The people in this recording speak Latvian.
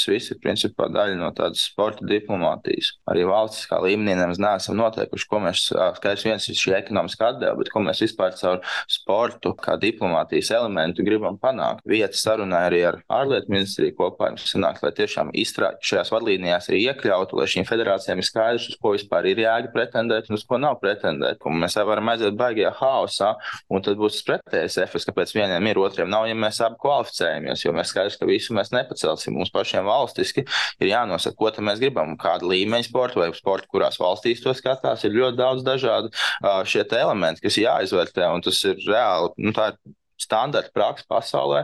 tas viss ir principā daļa no tādas sporta diplomātijas. Arī valstiskā līmenī nemaz neesam noteikuši, ko mēs, skaidrs viens ir šī ekonomiskā atdeva, bet ko mēs vispār caur sportu kā diplomātijas elementu gribam panākt. Vieta sarunā arī ar ārlietu ministriju kopā sanāk, lai tiešām šajās vadlīnijās arī iekļautu, lai šīm federācijām ir skaidrs, uz ko vispār ir jēga pretendēt un uz ko nav pretendēt. Un mēs varam aiziet baigajā haosā, un tad būs pretējais efekts, kāpēc vieniem ir, otriem nav, ja mēs abi kvalificējamies, jo mēs skaidrs, ka visu mēs nepacelsim. Mums pašiem valstiski ir jānosaka, ko tad mēs gribam, kāda līmeņa sporta vai sporta, kurās valstīs to skatās, ir ļoti daudz dažādu šie elementi, kas jāizvērtē, un tas ir reāli, tā ir standarta praksa pasaulē,